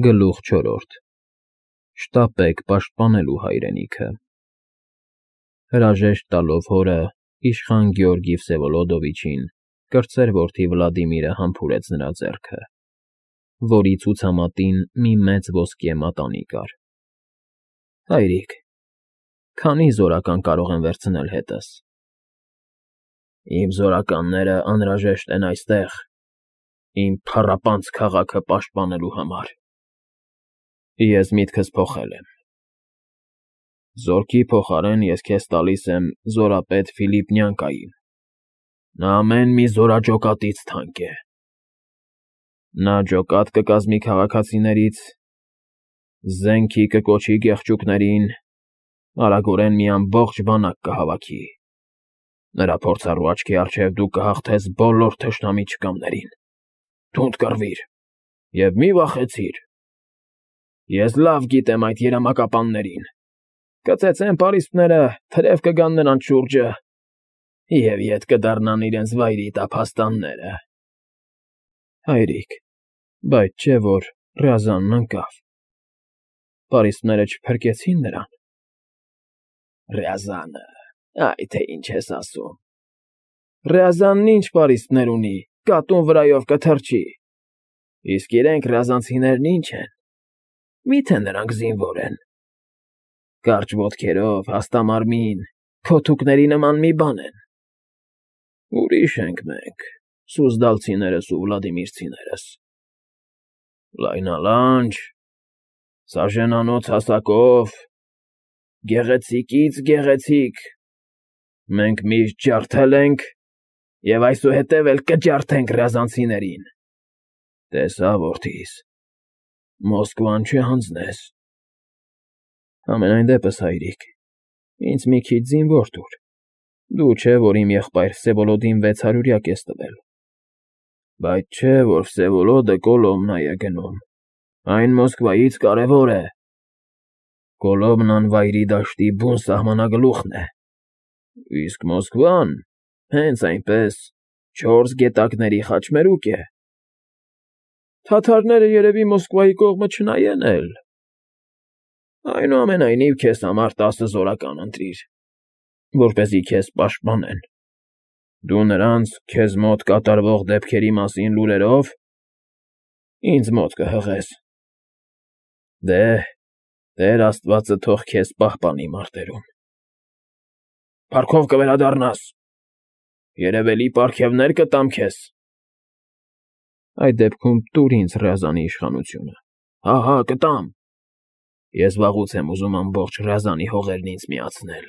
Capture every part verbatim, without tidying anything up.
Գլուխ չորրորդ Շտապեք պաշտպանելու հայրենիքը։ Հրաժեշտ տալով հորը, իշխան Գեորգի Վսևոլոդովիչին կրտսեր որդի Վլադիմիրը համբուրեց նրա ձեռքը, որի ցուցամատին մի մեծ ոսկե մատանի կար։ Հայրիկ, քանի՞ զորական կարող եմ վերցնել հետս։ Իմ զորականները անհրաժեշտ են այստեղ, իմ փառապանծ քաղաքը պաշտպանելու համար։ Ես միտքս փոխել եմ։ Զորքի փոխարեն ես քեզ տալիս եմ զորապետ Ֆիլիպ Նյանկային։ Նա ամեն մի զորաճոկատից թանկ է։ Նա ջոկատ կկազմի քաղաքացիներից, զենքի կկոչի գեղեցիկներին, արագորեն մի ամբողջ բանակ կհավաքի։ Նրա փորձառու աչքի առջև դու կհաղթես բոլոր թշնամի չկամներին։ Թունդ կռվիր և մի վախեցիր։ Ես լավ գիտեմ այդ երամակապաններին։ Կծեծեն պարիսպները, թրև կգան նրանց շուրջը և ետ կդառնան իրենց վայրի տափաստանները։ Հայրիկ, բայց չէ՞ որ Ռյազանն ընկավ։ Պարիսպները չփրկեցին նրան։ Ռյազանը… Այ թե ինչ ես ասում։ Ռյազանն ինչ պարիսպներ ունի, կատուն վրայով կթռչի։ Իսկ իրենք ռյազանցիներն ինչ են, մի՞թե նրանք զինվոր են։ Կարճ ոտքերով, հաստամարմին, փոթուկների նման մի բան են։ Ուրիշ ենք մենք, սուզդալցիներս ու վլադիմիրցիներս։ Լայնալանջ, սաժենանոց հասակով, գեղեցիկից գեղեցիկ, մենք միշտ ջարդել ենք և այսուհետև էլ կջարդենք ռյազանցիներին։ Տեսա՞, որդիս, Մոսկվան չհանձնես։ Համենայն դեպս, հայրիկ, ինձ մի քիչ զինվոր տուր։ Դու չէ, որ իմ եղբայր Վսևոլոդին վեց հարյուրյակ ես տվել։ Բայց չէ, որ Վսևոլոդը Կոլոմնա է գնում, այն Մոսկվայից կարևոր է։ Կոլոմնան Վայրի դաշտի բուն սահմանագլուխն է, իսկ Մոսկվան հենց այնպես չորս գետակների խաչմերուկ է։ Թաթարները երևի Մոսկվայի կողմը չնայեն էլ։ Այնուամենայնիվ քեզ համար տասը զորական ընտրիր, որպեսզի քեզ պաշտպանեն։ Դու նրանց քեզ մոտ կատարվող դեպքերի մասին լուրերով ինձ մոտ կհղես։ Դե, Տեր աստվածը թող քեզ պահպանի մարտերում։ Փառքով կվերադառնաս։ Երևելի պարգևներ կտամ քեզ։ Այդ դեպքում տուր ինձ Ռյազանի իշխանությունը։ Հա, հա, կտամ։ Ես վաղուց եմ ուզում ամբողջ Ռյազանի հողերն ինձ միացնել։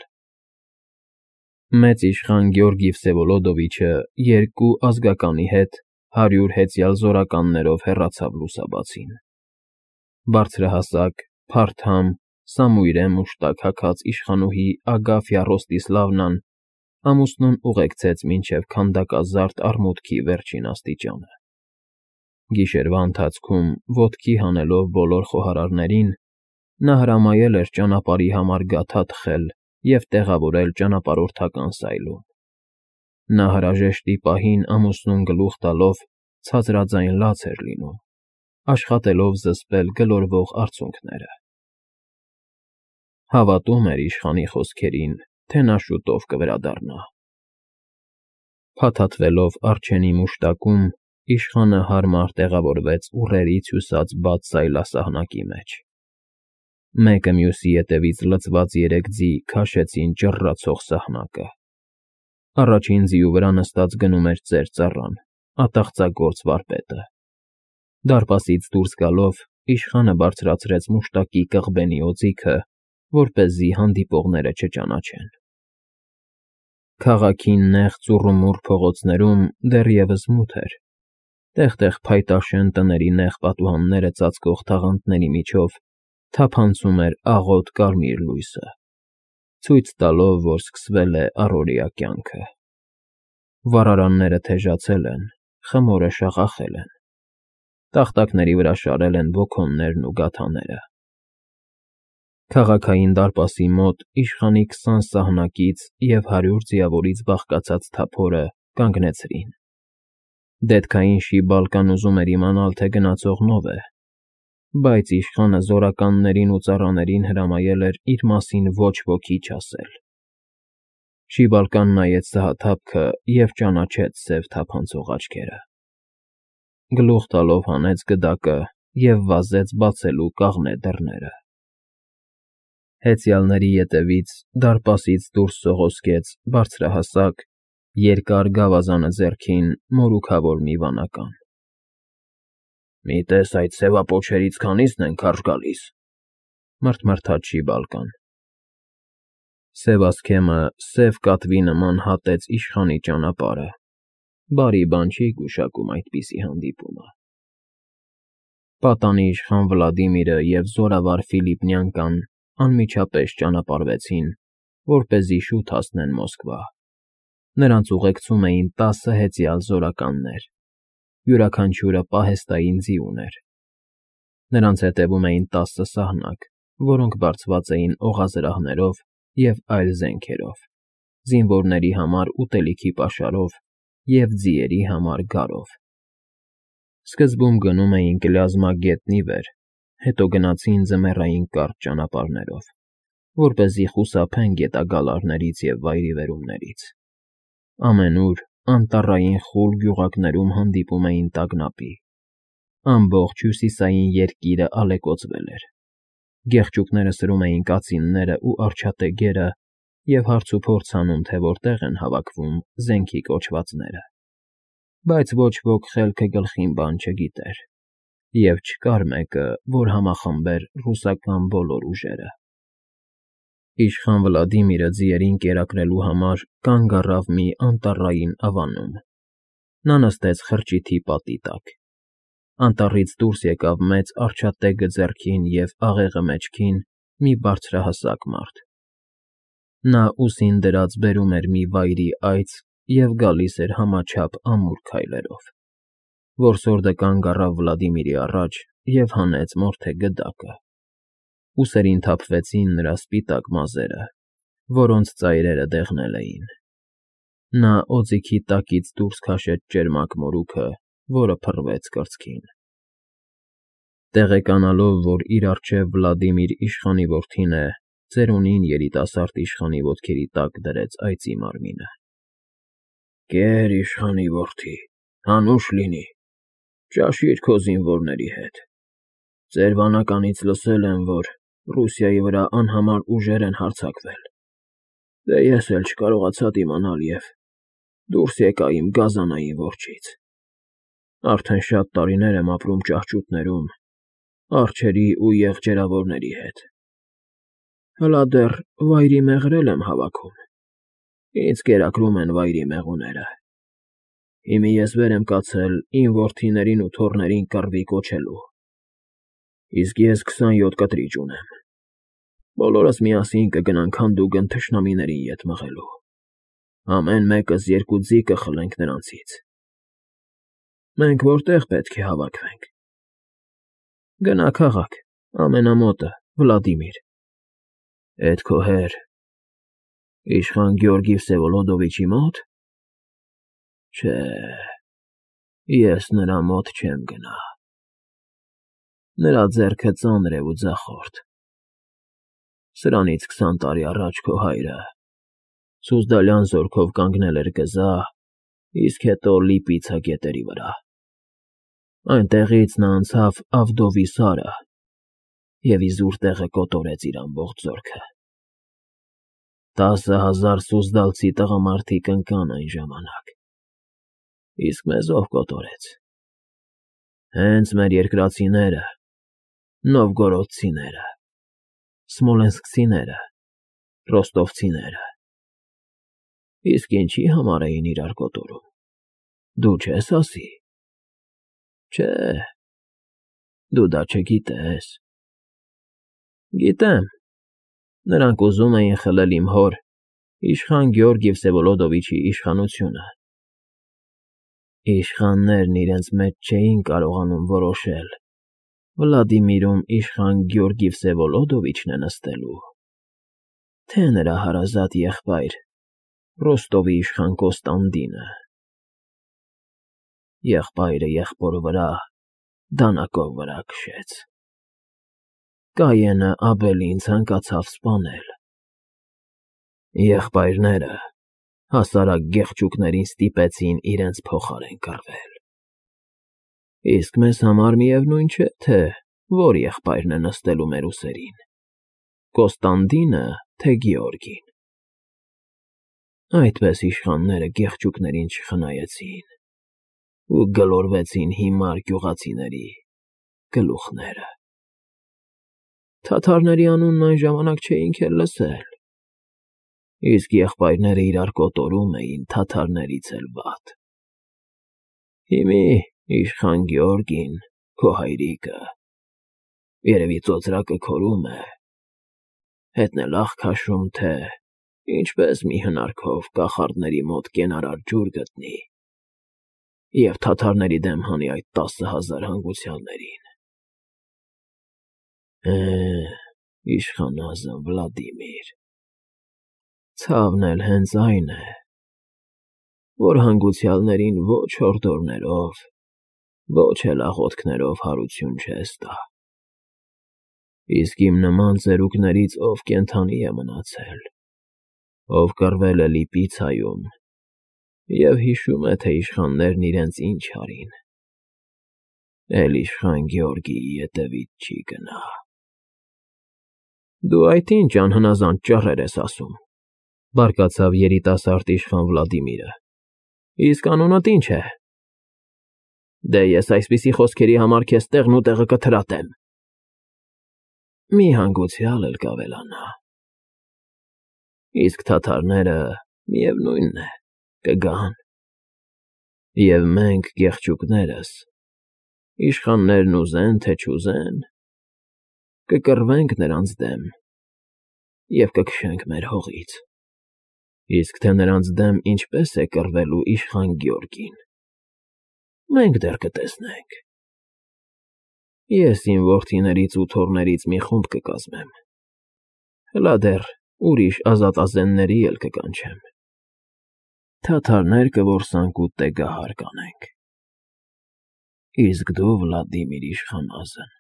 Մեծ իշխան Գեորգի Վսևոլոդովիչը երկու ազգականի հետ հարյուր հեծյալ զորականներով հեռացավ լուսաբացին։ Բարձրահասակ, փարթամ, սամույրե մուշտակ հագած իշխանուհի Ագաֆյա Ռոստիսլավնան ամուսնուն ուղեկցեց մինչև քանդակազարդ արմունկի վերջին աստիճանը։ Գիշերվա ընթացքում, ոտքի հանելով բոլոր խոհարարներին, նա հրամայել էր ճանապարհի համար գաթա թխել և տեղավորել ճանապարհորդական սայլում։ Նա հրաժեշտի պահին ամուսնուն գլուխ տալով ցածրաձայն լաց էր լինում, աշխատելով զսպել գլորվող արցունքները։ Հավատում էր իշխանի խոսքերին, թե նա շուտով կվերադառնա։ Փաթաթվելով առջենի մուշտակում, իշխանը հարմար տեղավորվեց ուռերից հյուսած բաց սայլասահնակի մեջ։ Մեկը մյուսի ետևից լցված երեք ձի քաշեցին ճռռացող սահնակը։ Առաջին ձիու վրա նստած գնում էր ծեր ծառան, ատաղծագործ վարպետը։ Դարպասից դուրս գալով, իշխանը բարձրացրեց մուշտակի կղբենի օձիքը, որպեսզի հանդիպողները չճանաչեն։ Քաղաքի նեղ ծուռումուռ փողոցներում դեռևս մութ էր։ Տեղ֊տեղ փայտաշեն տների նեղ պատուհանները ծածկող թաղանթների միջով թափանցում էր աղոտ կարմիր լույսը, ցույց տալով, որ սկսվել է առօրյա կյանքը։ Վառարանները թեժացել են, խմորը շաղախել են։ Տախտակների վրա շարել են ոգոններն ու գաթաները։ Քաղաքային դարպասի մոտ իշխանի քսան սահնակից և հարյուր ձիավորից բաղկացած թափորը կանգնեցրին։ Դետքային շիբալկան ուզում էր իմանալ, թե գնացողն ով է, բայց իշխանը զորականներին ու ծառաներին հրամայել էր իր մասին ոչ ոքի չասել։ Շիբալկան նայեց սահաթափքը և ճանաչեց սև թափանցող աչքերը։ Գլուխ տալով հանեց գդակը և վազեց բացելու կաղնե դռները։ Հեծյալների ետևից դարպասից դուրս սողոսկեց բարձրահասակ, երկար գավազանը ձեռքին մորուքավոր մի վանական։ ֊ Մի տես այդ սևապոչերից քանի՞սն են քարշ գալիս,֊ մռթմռթաց Շիբալկան։ Սևասքեմը սև կատվի նման հատեց իշխանի ճանապարհը, բարի բան չի գուշակում այդպիսի հանդիպումը։ Պատանի իշխան Վլադիմիրը և զորավար Ֆիլիպ Նյանկան անմիջապես ճանապարհվեցին, որպեսզի շուտ հասնեն Մոսկվա։ Նրանց ուղեկցում էին տասը հեծյալ զորականներ, յուրաքանչյուրը պահեստային ձի ուներ։ Նրանց հետևում էին տասը սահնակ, որոնք բարձված էին օղազրահներով և այլ զենքերով, զինվորների համար ուտելիքի պաշարով և ձիերի համար գարով։ Սկզբում գնում էին Կլյազմա գետնի վեր, հետո գնացին ձմեռային կարճ ճանապարհներով, որպեսզի խուսափեն գետագալարներից և վայրիվերումներից։ Ամենուր անտառային խուլ գյուղակներում հանդիպում էին տագնապի։ Ամբողջ հյուսիսային երկիրը ալեկոծվել էր։ Գեղչուկները սրում էին կացիններն ու արջաթեգերը և հարցուփորձ անում, թե որտեղ են հավաքվում զենքի կոչվածները։ Բայց ոչ ոք խելքը գլխին բան չգիտեր, և չկար մեկը, որ համախմբեր ռուսական բոլոր ուժերը։ Իշխան Վլադիմիրը ձիերին կերակրելու համար կանգ առավ մի անտառային ավանում։ Նա նստեց խրճիթի պատի տակ։ Անտառից դուրս եկավ մեծ արջաթեգը ձեռքին և աղեղը մեջքին մի բարձրահասակ մարդ։ Նա ուսին դրած բերում էր մի վայրի այծ և գալիս էր համաչափ ամուր քայլերով։ Որսորդը կանգ առավ Վլադիմիրի առաջ և հանեց մորթե գդակը։ Ուսերին թափվեցին նրա սպիտակ մազերը, որոնց ծայրերը դեղնել էին։ Նա օձիքի տակից դուրս քաշեց ճերմակ մորուքը, որը փռվեց կրծքին։ Տեղեկանալով, որ իր առջև Վլադիմիր իշխանի որդին է, ծերունին երիտասարդ իշխանի ոտքերի տակ դրեց այծի մարմինը։ ֊ Կեր, իշխանի որդի, հանուշ լինի, ճաշիր քո զինվորների հետ։ Ձեր վանականից լսել եմ, որ Ռուսիայի վրա անհամար ուժեր են հարձակվել, դե ես էլ չկարողացա դիմանալ և դուրս եկա իմ գազանային որջից։ Արդեն շատ տարիներ եմ ապրում ճահճուտներում, արջերի ու եղջերավորների հետ։ Հլա դեռ վայրի մեղր եմ հավաքում, ինձ կերակրում են վայրի մեղուները։ Հիմա ես վեր եմ կացել իմ որդիներին ու թոռներին կռվի կոչելու, իսկ ես քսանյոթ կտրիճ ունեմ։ Բոլորս միասին կգնանք հանդուգն թշնամիների ետ մղելու, ամեն մեկս երկու ձի կխլենք նրանցից։ Մենք որտե՞ղ պետք է հավաքվենք։ Գնա քաղաք, ամենամոտը, Վլադիմիր։ Էդ քո հեր՝ իշխան Գեորգի Վսևոլոդովիչի մո՞տ։ Չէ, ես նրա մոտ չեմ գնա։ Նրա ձեռքը ծանր է ու ձախորդ։ Սրանից քսան տարի առաջ քո հայրը Սուզդալյան զորքով կանգնել էր գզա, իսկ հետո Լիպիցա գետերի վրա։ Այնտեղից նա անցավ Ավդովի սարը և իզուր տեղը կոտորեց իր ամբողջ զորքը։ Տասը հազար սուզդալցի տղամարդիկ ընկան այն ժամանակ, իսկ մեզ ով կոտորեց։ Հենց մեր երկրացիները, նովգորոդցիները, սմոլենսկցիները, ռոստովցիները։ Իսկ ինչի համար էին իրար կոտորում, դու չես ասի։ Չէ, դու դա չգիտես։ Գիտեմ, նրանք ուզում էին խլել իմ հոր՝ իշխան Գեորգի Վսևոլոդովիչի իշխանությունը։ Իշխաններն իրենց մեջ չէին կարողանում որոշել՝ Վլադիմիրում իշխան Գեորգի Վսևոլոդովիչն է նստելու, թե նրա հարազատ եղբայր Ռոստովի իշխան Կոստանդինը։ Եղբայրը եղբոր վրա դանակով վրա քշեց։ Կայենը Աբելին ցանկացավ սպանել։ Եղբայրները հասարակ գեղչուկներին ստիպեցին իրենց փոխարեն կռվել։ Իսկ մեզ համար միևնույն չէ, թե որ եղբայրն է նստելու մեր ուսերին՝ Կոստանդինը, թե Գեորգին։ Այդպես իշխանները գեղչուկներին չխնայեցին ու գլորվեցին հիմար գյուղացիների գլուխները։ Թաթարների անունն այն ժամանակ չէինք էլ լսել, իսկ եղբայրները իրար կոտորում էին թաթարներից էլ վատ։ Հիմի իշխան Գեորգին, քո հայրիկը, երևի ծոծրակը քորում է, հետն էլ աղ քաշում, թե ինչպես մի հնարքով կախարդների մոտ կենարար ջուր գտնի և թաթարների դեմ հանի այդ տասը հազար հանգուցյալներին։ Է, իշխանազն Վլադիմիր, ցավն էլ հենց այն է, որ հանգուցյալներին ոչ հորդորներով, ոչ էլ աղոթքներով հարություն չես տա։ Իսկ իմ նման ծերուկներից ով կենդանի է մնացել, ով կռվել է Լիպիցայում և հիշում է, թե իշխաններն իրենց ինչ արին, էլ իշխան Գեորգիի ետևից չի գնա։ Դու այդ ինչ անհնազանդ ճառեր ես ասում, բարկացավ երիտասարդ իշխան Վլադիմիրը, իսկ անունդ ինչ է։ Դե ես այսպիսի խոսքերի համար քեզ տեղն ու տեղը կթրատեմ։ Մի հանգուցյալ էլ կավելանա։ Իսկ թաթարները, միևնույն է, կգան, և մենք, գեղչուկներս, իշխաններն ուզեն, թե չուզեն, կկռվենք նրանց դեմ և կքշենք մեր հողից, իսկ թե նրանց դեմ ինչպես է կռվելու իշխան Գեորգին, մենք դեռ կտեսնենք։ Ես իմ որդիներից ու թոռներից մի խումբ կկազմեմ, հլա դեռ ուրիշ ազատազենների էլ կկանչեմ, թաթարներ կորսանք ու տեգահար կանենք։ Իսկ դու, Վլադիմիր իշխանազն,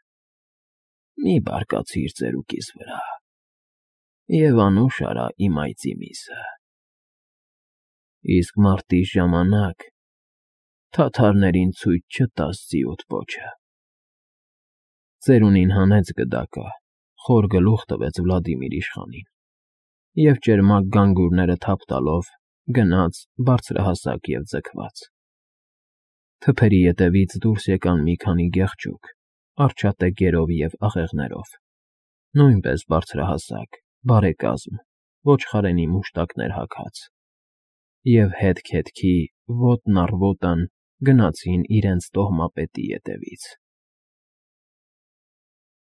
մի բարկացիր ծերուկիս վրա և անուշ արա իմ այծի միսը, իսկ մարտի ժամանակ թաթարներին ցույց չտաս ծիոտ պոչը։ Ծերունին հանեց գդակը, խոր գլուխ տվեց Վլադիմիր իշխանին և ճերմակ գանգուրները թափ տալով գնաց բարձրահասակ և ձգված։ Թփերի ետևից դուրս եկան մի քանի գեղջուկ, արջատեգերով և աղեղներով, նույնպես բարձրահասակ, բարեկազմ, ոչխարենի մուշտակներ հագած, և հետք հետքի, ոտն առ ոտն գնացին իրենց տոհմապետի ետևից։